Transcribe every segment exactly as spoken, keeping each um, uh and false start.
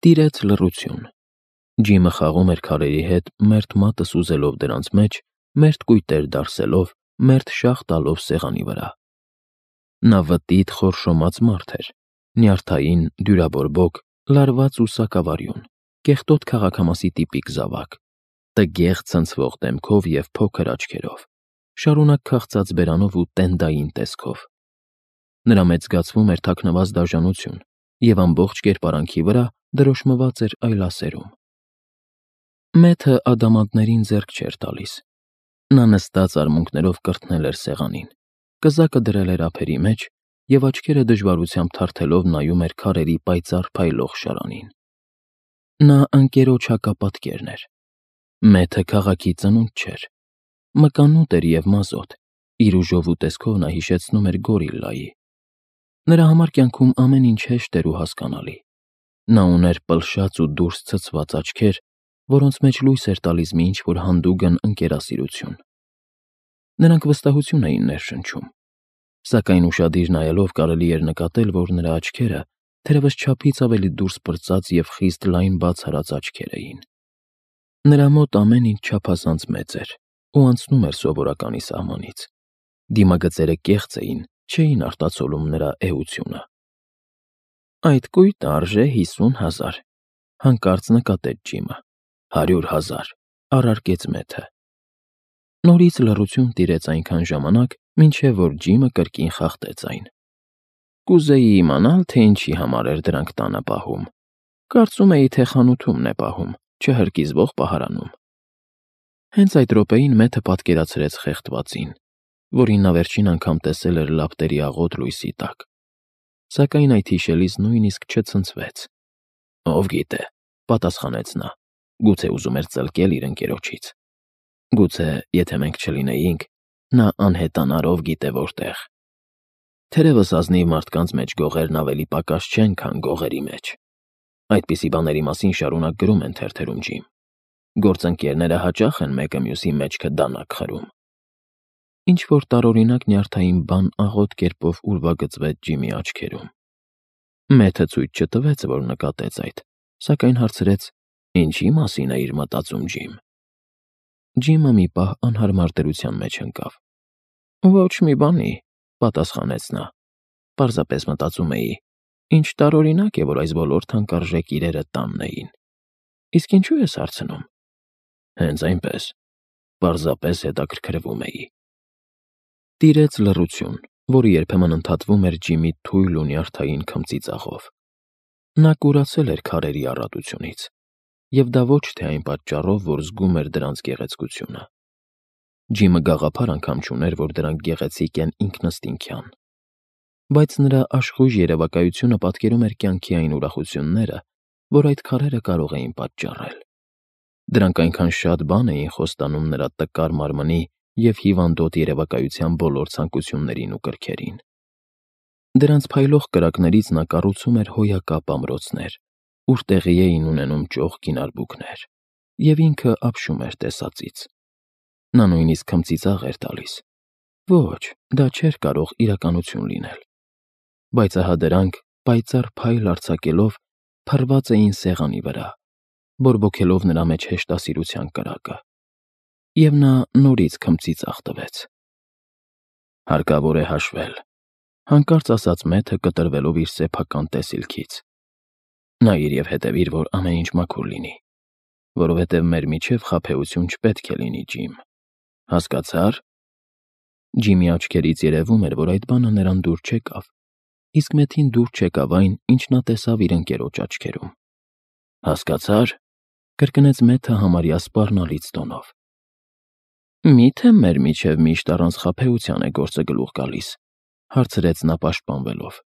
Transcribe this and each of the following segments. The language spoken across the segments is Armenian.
Տիրեց լռություն։ Ջիմը խաղում էր քարերի հետ, մերթ մատը սուզելով դրանց մեջ, մերթ կույտեր դարսելով, մերթ շաղ տալով սեղանի վրա։ Նա վտիտ խորշոմած մարդ էր, նյարդային, դյուրաբորբոք, լարված ու սակավարյուն, կեղտոտ քաղաքամասի տիպիկ զավակ, տգեղ ցնցվող դեմքով և փոքր աչքերով, շարունակ քաղցած բերանով ու տենդային տեսքով։ Նրա մեջ զգացվում էր թաքնված դաժանություն, և ամբողջ կերպարանքի վրա դրոշմված էր այլասերում։ Մեթը ադամանդներին ձեռք չէր տալիս։ Նա նստած արմունկներով կրթնել էր սեղանին, կզակը դրել էր ափերի մեջ և աչքերը դժվարությամբ թարթելով նայում էր քարերի պայծառ փայլող շարանին։ Նա ընկերոջ հակապատկերն էր։ Մեթը քաղաքի ծնունդ չէր։ Մկանուտ էր և մազոտ, իր ուժով ու տեսքով նա հիշեցնում էր գորիլլայի։ Նրա համար կյանքում ամեն ինչ հեշտ էր ու հասկանալի։ Նա ուներ պլշած ու դուրս ցցված աչքեր, որոնց մեջ լույս էր տալիս մի ինչ-որ հանդուգն ընկերասիրություն։ Նրանք վստահություն էին ներշնչում։ Սակայն ուշադիր նայելով կարելի էր նկատել, որ նրա աչքերը թերևս չափից ավելի դուրս պրծած և խիստ լայն բաց արած աչքեր էին։ Նրա մոտ ամեն ինչ չափազանց մեծ էր ու անցնում էր սովորականի սահմանից։ Դիմագծերը կեղծ էին, չէին արտացոլում նրա էությունը։ Այդ կույտը արժե հիսուն հազար, հանկարծ նկատեց Ջիմը։ Հարյուր հազար, առարկեց Մեթը։ Նորից լռություն տիրեց այնքան ժամանակ, մինչև որ Ջիմը կրկին խախտեց այն։ Կուզեի իմանալ, թե ինչի համար էր դրանք տանը պահում։ Կարծում էի, թե խանութումն է պահում, չհրկիզվող պահարանում։ Հենց այդ րոպեին Մեթը պատկերացրեց խեղդվածին, որին նա վերջին անգամ տեսել էր լապտերի աղոտ լույսի տակ։ Սակայն այդ հիշելիս նույնիսկ չցնցվեց։ Ով գիտե, պատասխանեց նա, գուցե ուզում էր ծլկել իր ընկերոջից։ Գուցե, եթե մենք չլինեինք, նա անհետանար ով գիտե որտեղ։ Թերևս ազնիվ մարդկանց մեջ գողերն ավելի պակաս չեն, քան գողերի մեջ։ Այդպիսի բաների մասին շարունակ գրում են թերթերում, Ջիմ։ Գործընկերները հաճախ են մեկը մյուսի մեջքը դանակ խրում։ Ինչ-որ տարօրինակ նյարդային բան աղոտ կերպով ուրվագծվեց Ջիմի աչքերում։ Մեթը ցույց չտվեց, որ նկատեց այդ, սակայն հարցրեց. Ինչի մասին էիր մտածում, Ջիմ։ Ջիմը մի պահ անհարմար դրության մեջ ընկավ։ Ոչ մի բանի, պատասխանեց նա։ Պարզապես մտածում էի, ինչ տարօրինակ է, որ այս բոլոր թանկարժեք իրերը տանն էին։ Իսկ ինչու ես հարցնում։ Հենց այնպես, պարզապես հետաքրքրվում էի։ Տիրեց լռություն, որը երբեմն ընդհատվում էր Ջիմի թույլ ու նյարդային քմծիծաղով։ Նա կուրացել էր քարերի առատությունից, և դա ոչ թե այն պատճառով, որ զգում էր դրանց գեղեցկությունը։ Ջիմը գաղափար անգամ չուներ, որ դրանք գեղեցիկ են ինքնըստինքյան։ Բայց նրա աշխույժ երևակայությունը պատկերում էր կյանքի այն ուրախությունները, որ այդ քարերը կարող էին պատճառել։ Դրանք այնքան շատ բան էին խոստանում նրա տկար մարմնի և հիվանդոտ երևակայության բոլոր ցանկություններին ու կրքերին։ Դրանց փայլող կրակներից նա կառուցում էր հոյակապ ամրոցներ, ուր տեղի էին ունենում ճոխ գինարբուքներ, և ինքը ապշում էր տեսածից։ Նա նույնիսկ քմծիծաղ էր տալիս։ Ոչ, դա չէր կարող իրականություն լինել։ Բայց ահա դրանք, պայծառ փայլ արձակելով, փռված էին սեղանի վրա, բորբոքելով նրա մեջ հեշտասիրության կրակը։ Եվ նա նորից քմծիծաղ տվեց։ Հարկավոր է հաշվել, հանկարծ ասաց Մեթը, կտրվելով իր սեփական տեսիլքից։ Նայիր և հետևիր, որ ամեն ինչ մաքուր լինի, որովհետև մեր միջև խաբեություն չպետք է լինի, Ջիմ, հասկացա՞ր։ Ջիմի աչքերից երևում էր, որ այդ բանը նրան դուր չեկավ, իսկ Մեթին դուր չեկավ այն, ինչ նա տեսավ իր ընկերոջ աչքերում։ Հասկացա՞ր, կրկնեց Մեթը համարյա սպառնալից տոնով։ Մի՞թե մեր միջև միշտ առանց խաբեության է գործը գլուխ գալիս, հարցրեց նա պաշտպանվելով։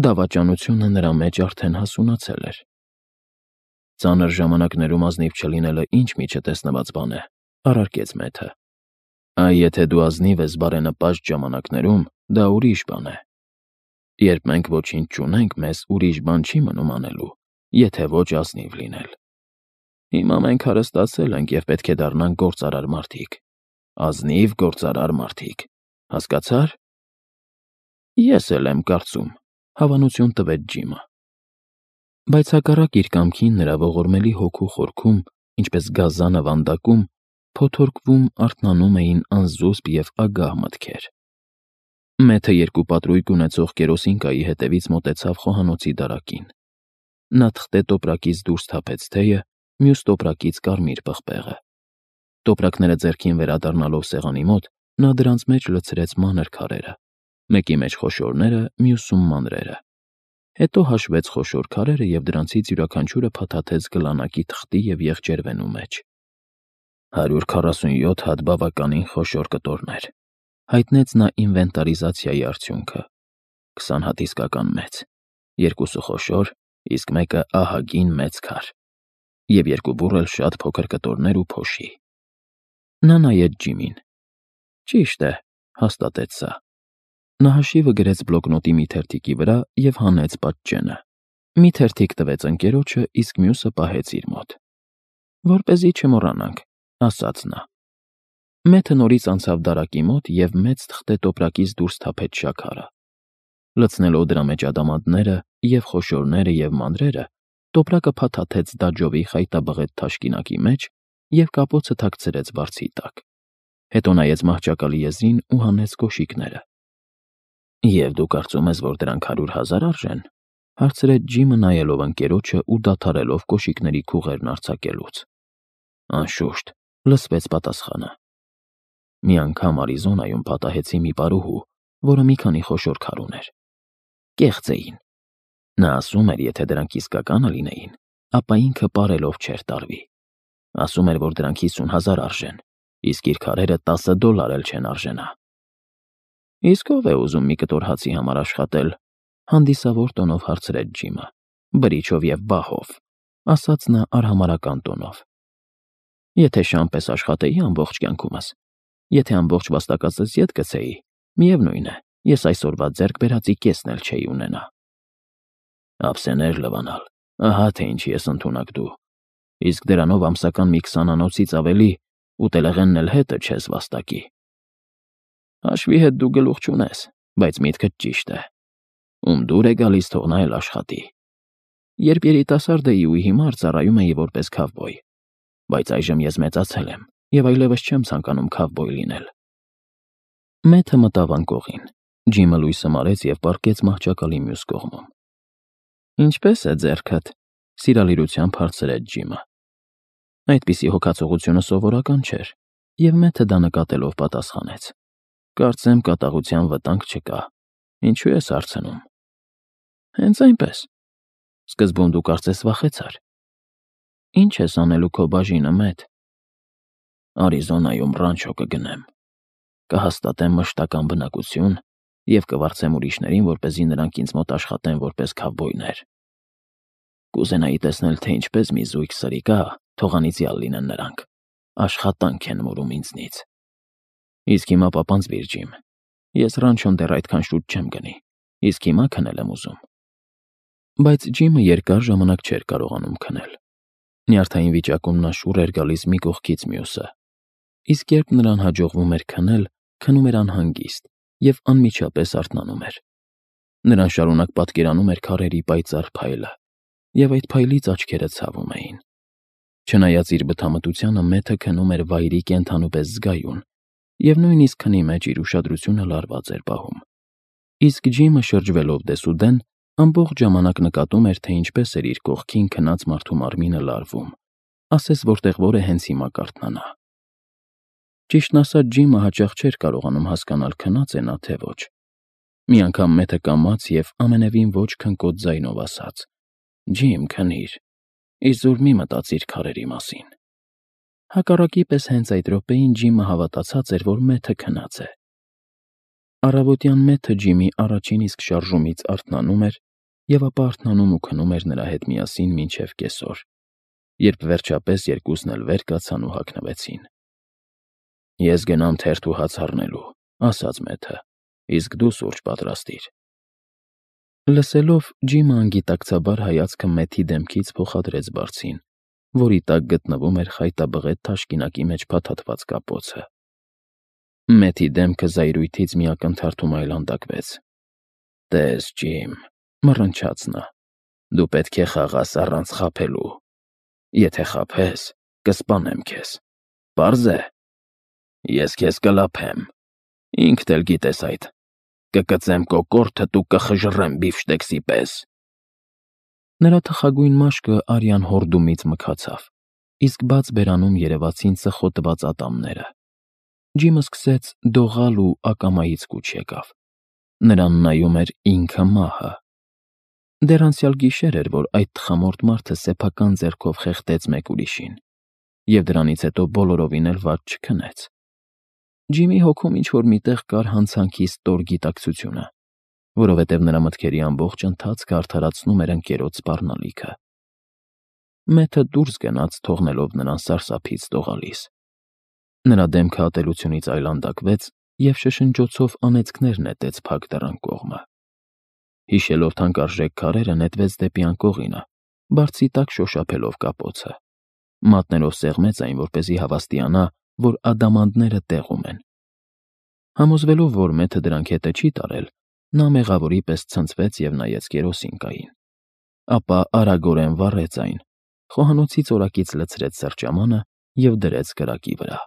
Դավաճանությունը նրա մեջ արդեն հասունացել էր։ Ծանր ժամանակներում ազնիվ չլինելը ինչ միջետեսնված բան է, առարկեց Մեթը։ Այ եթե դու ազնիվ ես բարենպաստ ժամանակներում, դա ուրիշ բան է։ Երբ մենք ոչինչ չունենք, մեզ ուրիշ բան չի մնում անելու, եթե ոչ ազնիվ լինել։ Հիմա մենք հարստացել ենք և պետք է դառնանք գործարար մարդիկ, ազնիվ գործարար մարդիկ, հասկացա՞ր։ Ես էլ եմ կարծում, հավանություն տվեց Ջիմը։ Բայց հակառակ իր կամքին նրա ողորմելի հոգու խորքում, ինչպես գազանը վանդակում, փոթորկվում, արթնանում էին անզուսպ և ագահ մտքեր։ Մեթը երկու պատրույգ ունեցող կերոսինկայի հետևից մոտեցավ խոհանոցի դարակին։ Նա թղթե տոպրակից դուրս թափեց թեյը, մյուս տոպրակից կարմիր պղպեղը։ Տոպրակները ձեռքին վերադառնալով սեղանի մոտ, նա դրանց մեջ լցրեց մանր քարերը, մեկի մեջ խոշորները, մյուսում մանրերը։ Հետո հաշվեց խոշոր քարերը և դրանցից յուրաքանչյուրը փաթաթեց գլանակի թղթի և եղջերվենու մեջ։ «Հարյուր քառասունյոթ հատ բավականին խոշոր կտորներ», հայտնեց նա ինվենտարիզացիայի արդյունքը։ «Քսան հատ իսկական մեծ, երկուսը խոշոր, իսկ մեկը ահագին մեծ քար, և երկու բուռ էլ շատ փոքր կտորներ ու փոշի»։ Նա նայեց Ջիմին։ «Ճիշտ է», հաստատեց սա։ Նա հաշիվը գրեց բլոկնոտի մի թերթիկի վրա և հանեց պատճենը։ Մի թերթիկ տվեց ընկերոջը, իսկ մյուսը պահեց իր մոտ։ «Որպեսզի չմոռանանք», ասաց նա։ Մեթը նորից անցավ դարակի մոտ և մեծ թղթե տոպրակից դուրս թափեց շաքարը։ Լցնելով դրա մեջ ադամանդները և խոշորները և մանրերը, տոպրակը փաթաթեց դաջովի խայտաբղետ թաշկինակի մեջ և կապոցը թաքցրեց բարձի տակ։ Հետո նայեց մահճակալի եզրին ու հանեց կոշիկները։ «Եվ դու կարծում ես, որ դրանք հարյուր հազար արժեն», հարցրեց Ջիմը, նայելով ընկերոջը ու դադարելով կոշիկների քուղերն արձակելուց։ «Անշուշտ», լսվեց պատասխանը։ «Մի անգամ Արիզոնայում պատահեցի մի պարուհու, որը մի քանի խոշոր քար ուներ։ Կեղծ էին։ Նա ասում էր, եթե դրանք իսկականը լինեին, ապա ինքը պարելով չէր տարվի։ Ասում էր, որ դրանք հիսուն հազար արժեն, իսկ իր քարերը տասը դոլար էլ չեն արժենա»։ «Իսկ ո՞վ է ուզում մի կտոր հացի համար աշխատել», հանդիսավոր տոնով հարցրեց Ջիմը։ «Բրիչով և բահով», ասաց նա արհամարհական տոնով։ «Եթե շան պես աշխատեի ամբողջ կյանքումս, եթե ամբողջ վաստակածս ետ գցեի, միևնույն է, ես այսօրվա ձեռք բերածի կեսն էլ չէի ունենա»։ «Ափսեներ լվանալ, ահա թե ինչի ես ընդունակ դու։ Իսկ դրանով ամսական մի քսանանոցից ավելի ուտելեղենն էլ հետը չես վաստակի»։ «Հաշվի հետ դու գլուխ չունես, բայց միտքդ ճիշտ է։ Ում դուր է գալիս, թող նա էլ աշխատի։ Երբ երիտասարդ էի ու հիմար ծառայում էի որպես քավբոյ, բայց այժմ ես մեծացել եմ և այլևս չեմ ցանկանում քավբոյ լինել»։ Մեթը մտավ անկողին։ Ջիմը լույսը մարեց և պառկեց մահճակալի մյուս կողմում։ «Ինչպե՞ս է ձեռքդ», սիրալիրությամբ հարցրեց Ջիմը։ Այդպիսի հոգացողությունը սովորական չէր, և Մեթը դա նկատելով պատասխանեց. «Կարծեմ կատաղության վտանգ չկա։ Ինչու ես հարցնում»։ «Հենց այնպես։ Սկզբում դու կարծես վախեցար։ Ի՞նչ ես անելու քո բաժինը, Մեթ»։ «Արիզոնայում ռանչո կգնեմ։ Կհաստատեմ մշտական բնակություն և կվարձեմ ուրիշներին, որպեսզի նրանք ինձ մոտ աշխատեն որպես քավբոյներ։ Կուզենայի տեսնել, թե ինչպես մի զույգ սրիկա, թող անիծյալ լինեն նրանք, աշխատանք են մուրում ինձնից։ Իսկ հիմա պապանձվիր, Ջիմ, ես ռանչոն դեռ այդքան շուտ չեմ գնի, իսկ հիմա քնել եմ ուզում»։ Բայց Ջիմը երկար ժամանակ չէր կարողանում քնել։ Նյարդային վիճակում նա շուռ էր գալիս մի կողքից մյուսը, իսկ երբ նրան հաջողվում էր քնել, քնում էր անհանգիստ և անմիջապես արթնանում էր։ Նրան շարունակ պատկերանում էր քարերի պայծառ փայլը, և այդ փայլից աչքերը ցավում էին։ Չնայած իր բթամտությանը, Մեթը քնում էր վայրի կենդանու պես զգայուն և նույնիսկ քնի մեջ իր ուշադրությունը լարված էր պահում։ Իսկ Ջիմը, շրջվելով դեսուդեն, ամբողջ ժամանակ նկատում էր, թե ինչպես էր իր կողքին քնած մարդու մարմինը լարվում, ասես որտեղ որ է հենց հիմա կարթնանա։ Ճիշտն ասած, Ջիմը հաճախ չէր կարողանում հասկանալ քնա՞ծ է նա, թե ոչ։ Մի անգամ Մեթը կամաց և ամենևին ոչ քնկոտ ձայնով ասաց. «Ջիմ, քնիր, իզուր մի մտածիր քարերի մասին»։ Հակառակի պես հենց այդ րոպեին Ջիմը հավատացած էր, որ Մեթը քնած է։ Առավոտյան Մեթը Ջիմի առաջին իսկ շարժումից արթնանում էր և ապա արթնանում ու քնում էր նրա հետ միասին մինչև կեսօր, երբ վերջապես երկուսն էլ վեր կացան ու հագնվեցին։ «Ես գնամ թերթ ու հաց առնելու», ասաց Մեթը, «իսկ դու սուրճ պատրաստիր»։ Լսելով, Ջիմը անգիտակցաբար հայացքը Մեթի դեմքից փոխադրեց բարձին, որի տակ գտնվում էր խայտաբղետ թաշկինակի մեջ փաթաթված կապոցը։ Մեթի դեմքը զայրույթից մի ակնթարթում այլանդակվեց։ «Տես, Ջիմ», մռնչաց նա, Դու պետք է խաղաս առանց խաբելու։ Եթե խաբես, կսպանեմ քեզ։ Պարզ է։ Ես քեզ կլափեմ։ Ինքդ էլ գիտես այդ։ Կկծեմ կոկորդդ ու կխժռեմ բիֆշտեքսի պես։ Նրա թխագույն մաշկը արյան հորդումից մքացավ, իսկ բաց բերանում երևացին ծխոտված ատամները։ Ջիմը սկսեց դողալ ու ակամայից կուչ եկավ։ Նրան նայում էր ինքը մահը։ Դեռ անցյալ գիշեր էր, որ այդ տխամորթ մարդը սեփական ձեռքով խեղդեց մեկ ուրիշին, և դրանից հետո բոլորովին էլ վատ չքնեց։ Ջիմի հոգում ինչ-որ մի տեղ կար հանցանքի ստոր գիտակցությունը, որովհետև նրա մտքերի ամբողջ ընթացքը արդարացնում էր ընկերոջ սպառնալիքը։ Մեթը դուրս գնաց, թողնելով նրան սարսափից դողալիս։ Նրա դեմքը ատելությունից այլանդակվեց և շշնջոցով անեծքներ նետեց փակ դռան կողմը։ Հիշելով թանկարժեք քարերը, նետվեց դեպի անկողինը, բարձի տակ շոշափելով կապոցը։ Մատներով սեղմեց այն, որպեսզի հավաստիանա, որ ադամանդները տեղում են։ Համոզվելով, որ մեթը դրանք հետը չի տարել, նա մեղավորի պես ցնցվեց և նայեց կերոսինկային։ Ապա արագորեն վառեց այն, խոհանոցից օրակից լցրեց սրճամանը և դրեց կրակի վրա։